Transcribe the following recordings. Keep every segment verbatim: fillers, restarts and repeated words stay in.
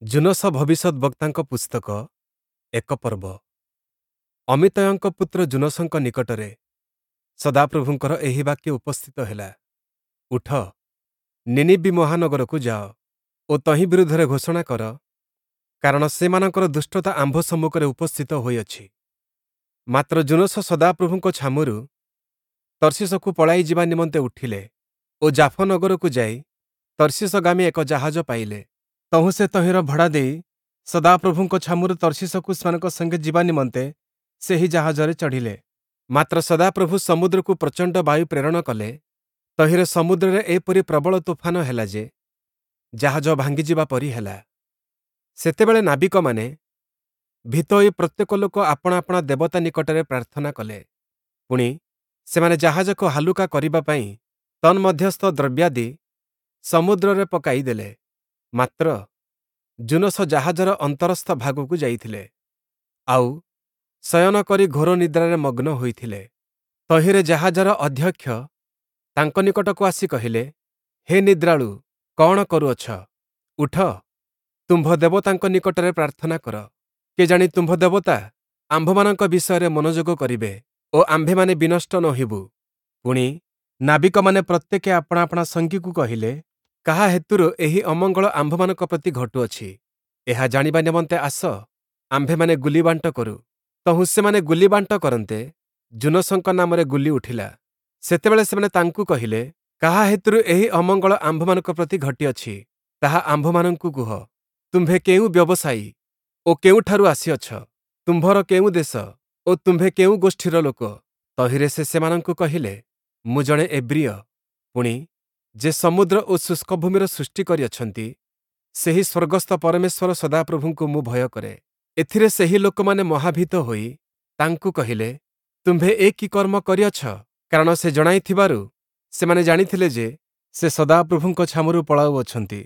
ଯୂନସ ଭବିଷ୍ୟଦ୍‌ବକ୍ତାଙ୍କ ପୁସ୍ତକ ଏକ ପର୍ବ। ଅମିତ୍ତୟଙ୍କ ପୁତ୍ର ଯୂନସଙ୍କ ନିକଟରେ ସଦାପ୍ରଭୁଙ୍କର ଏହି ବାକ୍ୟ ଉପସ୍ଥିତ ହେଲା, ଉଠ, ନୀନିବୀ ମହାନଗରକୁ ଯାଅ ଓ ତହିଁ ବିରୁଦ୍ଧରେ ଘୋଷଣା କର, କାରଣ ସେମାନଙ୍କର ଦୁଷ୍ଟତା ଆମ୍ଭ ସମ୍ମୁଖରେ ଉପସ୍ଥିତ ହୋଇଅଛି। ମାତ୍ର ଯୂନସ ସଦାପ୍ରଭୁଙ୍କ ଛାମୁରୁ ତର୍ଶୀଶକୁ ପଳାଇ ଯିବା ନିମନ୍ତେ ଉଠିଲେ ଓ ଜାଫୋ ନଗରକୁ ଯାଇ ତର୍ଶୀଶଗାମୀ ଏକ ଜାହାଜ ପାଇଲେ। ତହୁଁ ସେ ତହିଁର ଭଡ଼ା ଦେଇ ସଦାପ୍ରଭୁଙ୍କ ଛାମୁରୁ ତର୍ଶୀଶକୁ ସେମାନଙ୍କ ସଙ୍ଗେ ଯିବା ନିମନ୍ତେ ସେହି ଜାହାଜରେ ଚଢ଼ିଲେ। ମାତ୍ର ସଦାପ୍ରଭୁ ସମୁଦ୍ରକୁ ପ୍ରଚଣ୍ଡ ବାୟୁ ପ୍ରେରଣ କଲେ, ତହିଁରେ ସମୁଦ୍ରରେ ଏପରି ପ୍ରବଳ ତୋଫାନ ହେଲା ଯେ, ଜାହାଜ ଭାଙ୍ଗିଯିବା ପରି ହେଲା। ସେତେବେଳେ ନାବିକମାନେ ଭୀତ ହୋଇ ପ୍ରତ୍ୟେକ ଲୋକ ଆପଣା ଆପଣା ଦେବତା ନିକଟରେ ପ୍ରାର୍ଥନା କଲେ। ପୁଣି, ସେମାନେ ଜାହାଜକୁ ହାଲୁକା କରିବା ପାଇଁ ତନ୍ମଧ୍ୟସ୍ଥ ଦ୍ରବ୍ୟାଦି ସମୁଦ୍ରରେ ପକାଇ ଦେଲେ। ମାତ୍ର ଯୂନସ ଜାହାଜର ଅନ୍ତରସ୍ଥ ଭାଗକୁ ଯାଇଥିଲେ, ଆଉ ଶୟନ କରି ଘୋର ନିଦ୍ରାରେ ମଗ୍ନ ହୋଇଥିଲେ। ତହିଁରେ ଜାହାଜର ଅଧ୍ୟକ୍ଷ ତାଙ୍କ ନିକଟକୁ ଆସି କହିଲେ, ହେ ନିଦ୍ରାଳୁ, କଅଣ କରୁଅଛ? ଉଠ, ତୁମ୍ଭ ଦେବତାଙ୍କ ନିକଟରେ ପ୍ରାର୍ଥନା କର। କେଜାଣି ତୁମ୍ଭ ଦେବତା ଆମ୍ଭମାନଙ୍କ ବିଷୟରେ ମନୋଯୋଗ କରିବେ ଓ ଆମ୍ଭେମାନେ ବିନଷ୍ଟ ନ ହେବୁ। ପୁଣି, ନାବିକମାନେ ପ୍ରତ୍ୟେକେ ଆପଣା ଆପଣା ସଙ୍ଗୀକୁ କହିଲେ, କାହା ହେତୁରୁ ଏହି ଅମଙ୍ଗଳ ଆମ୍ଭମାନଙ୍କ ପ୍ରତି ଘଟୁଅଛି? ଏହା ଜାଣିବା ନିମନ୍ତେ ଆସ, ଆମ୍ଭେମାନେ ଗୁଲିବାଣ୍ଟ କରୁ। ତହୁଁ ସେମାନେ ଗୁଲିବାଣ୍ଟ କରନ୍ତେ, ଯୂନସଙ୍କ ନାମରେ ଗୁଲି ଉଠିଲା। ସେତେବେଳେ ସେମାନେ ତାଙ୍କୁ କହିଲେ, କାହା ହେତୁରୁ ଏହି ଅମଙ୍ଗଳ ଆମ୍ଭମାନଙ୍କ ପ୍ରତି ଘଟିଅଛି, ତାହା ଆମ୍ଭମାନଙ୍କୁ କୁହ। ତୁମ୍ଭେ କେଉଁ ବ୍ୟବସାୟୀ ଓ କେଉଁଠାରୁ ଆସିଅଛ? ତୁମ୍ଭର କେଉଁ ଦେଶ ଓ ତୁମ୍ଭେ କେଉଁ ଗୋଷ୍ଠୀର ଲୋକ? ତହିଁରେ ସେ ସେମାନଙ୍କୁ କହିଲେ, ମୁଁ ଜଣେ ଏବ୍ରୀୟ, ପୁଣି, ଯେ ସମୁଦ୍ର ଓ ଶୁଷ୍କ ଭୂମିର ସୃଷ୍ଟି କରିଅଛନ୍ତି, ସେହି ସ୍ୱର୍ଗସ୍ଥ ପରମେଶ୍ୱର ସଦାପ୍ରଭୁଙ୍କୁ ମୁଁ ଭୟ କରେ। ଏଥିରେ ସେହି ଲୋକମାନେ ମହାଭୀତ ହୋଇ ତାଙ୍କୁ କହିଲେ, ତୁମ୍ଭେ ଏ କି କର୍ମ କରିଅଛ? କାରଣ ସେ ଜଣାଇଥିବାରୁ ସେମାନେ ଜାଣିଥିଲେ ଯେ ସେ ସଦାପ୍ରଭୁଙ୍କ ଛାମୁରୁ ପଳାଉଅଛନ୍ତି।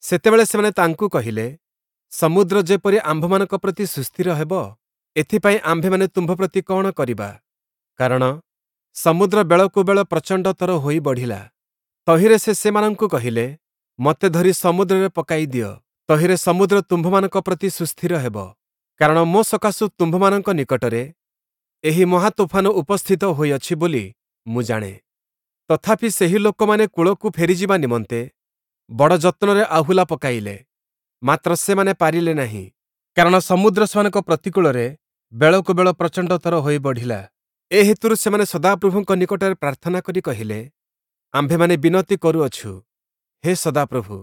ସେତେବେଳେ ସେମାନେ ତାଙ୍କୁ କହିଲେ, ସମୁଦ୍ର ଯେପରି ଆମ୍ଭମାନଙ୍କ ପ୍ରତି ସୁସ୍ଥିର ହେବ, ଏଥିପାଇଁ ଆମ୍ଭେମାନେ ତୁମ୍ଭ ପ୍ରତି କଅଣ କରିବା? କାରଣ ସମୁଦ୍ର ବେଳକୁ ବେଳ ପ୍ରଚଣ୍ଡତର ହୋଇ ବଢ଼ିଲା। ତହିଁରେ ସେ ସେମାନଙ୍କୁ କହିଲେ, ମୋତେ ଧରି ସମୁଦ୍ରରେ ପକାଇ ଦିଅ, ତହିଁରେ ସମୁଦ୍ର ତୁମ୍ଭମାନଙ୍କ ପ୍ରତି ସୁସ୍ଥିର ହେବ। କାରଣ ମୋ ସକାଶୁ ତୁମ୍ଭମାନଙ୍କ ନିକଟରେ ଏହି ମହାତୋଫାନ ଉପସ୍ଥିତ ହୋଇଅଛି ବୋଲି ମୁଁ ଜାଣେ। ତଥାପି ସେହି ଲୋକମାନେ କୂଳକୁ ଫେରିଯିବା ନିମନ୍ତେ ବଡ଼ ଯତ୍ନରେ ଆହୁଲା ପକାଇଲେ, ମାତ୍ର ସେମାନେ ପାରିଲେ ନାହିଁ, କାରଣ ସମୁଦ୍ର ସେମାନଙ୍କ ପ୍ରତିକୂଳରେ ବେଳକୁ ବେଳ ପ୍ରଚଣ୍ଡତର ହୋଇ ବଢ଼ିଲା। ଏ ହେତୁରୁ ସେମାନେ ସଦାପ୍ରଭୁଙ୍କ ନିକଟରେ ପ୍ରାର୍ଥନା କରି କହିଲେ, ଆମ୍ଭେମାନେ ବିନତି କରୁଅଛୁ, ହେ ସଦାପ୍ରଭୁ,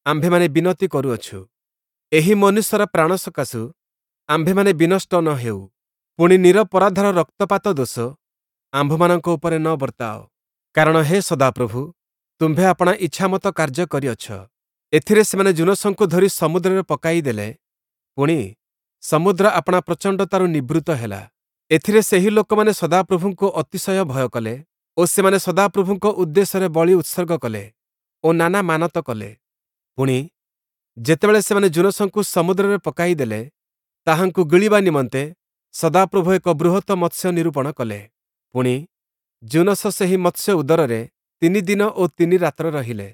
ଆମ୍ଭେମାନେ ବିନତି କରୁଅଛୁ, ଏହି ମନୁଷ୍ୟର ପ୍ରାଣ ସକାଶୁ ଆମ୍ଭେମାନେ ବିନଷ୍ଟ ନ ହେଉ, ପୁଣି ନିରପରାଧର ରକ୍ତପାତ ଦୋଷ ଆମ୍ଭମାନଙ୍କ ଉପରେ ନ ବର୍ତ୍ତାଅ। କାରଣ ହେ ସଦାପ୍ରଭୁ, ତୁମ୍ଭେ ଆପଣା ଇଚ୍ଛାମତ କାର୍ଯ୍ୟ କରିଅଛ। ଏଥିରେ ସେମାନେ ଯୂନସଙ୍କୁ ଧରି ସମୁଦ୍ରରେ ପକାଇ ଦେଲେ, ପୁଣି, ସମୁଦ୍ର ଆପଣା ପ୍ରଚଣ୍ଡତାରୁ ନିବୃତ୍ତ ହେଲା। ଏଥିରେ ସେହି ଲୋକମାନେ ସଦାପ୍ରଭୁଙ୍କୁ ଅତିଶୟ ଭୟ କଲେ ଓ ସେମାନେ ସଦାପ୍ରଭୁଙ୍କ ଉଦ୍ଦେଶ୍ୟରେ ବଳି ଉତ୍ସର୍ଗ କଲେ ଓ ନାନା ମାନତ କଲେ। ପୁଣି, ଯେତେବେଳେ ସେମାନେ ଯୂନସଙ୍କୁ ସମୁଦ୍ରରେ ପକାଇ ଦେଲେ, ତାହାଙ୍କୁ ଗିଳିବା ନିମନ୍ତେ ସଦାପ୍ରଭୁ ଏକ ବୃହତ ମତ୍ସ୍ୟ ନିରୂପଣ କଲେ। ପୁଣି, ଯୂନସ ସେହି ମତ୍ସ୍ୟ ଉଦରରେ ତିନି ଦିନ ଓ ତିନି ରାତ୍ର ରହିଲେ।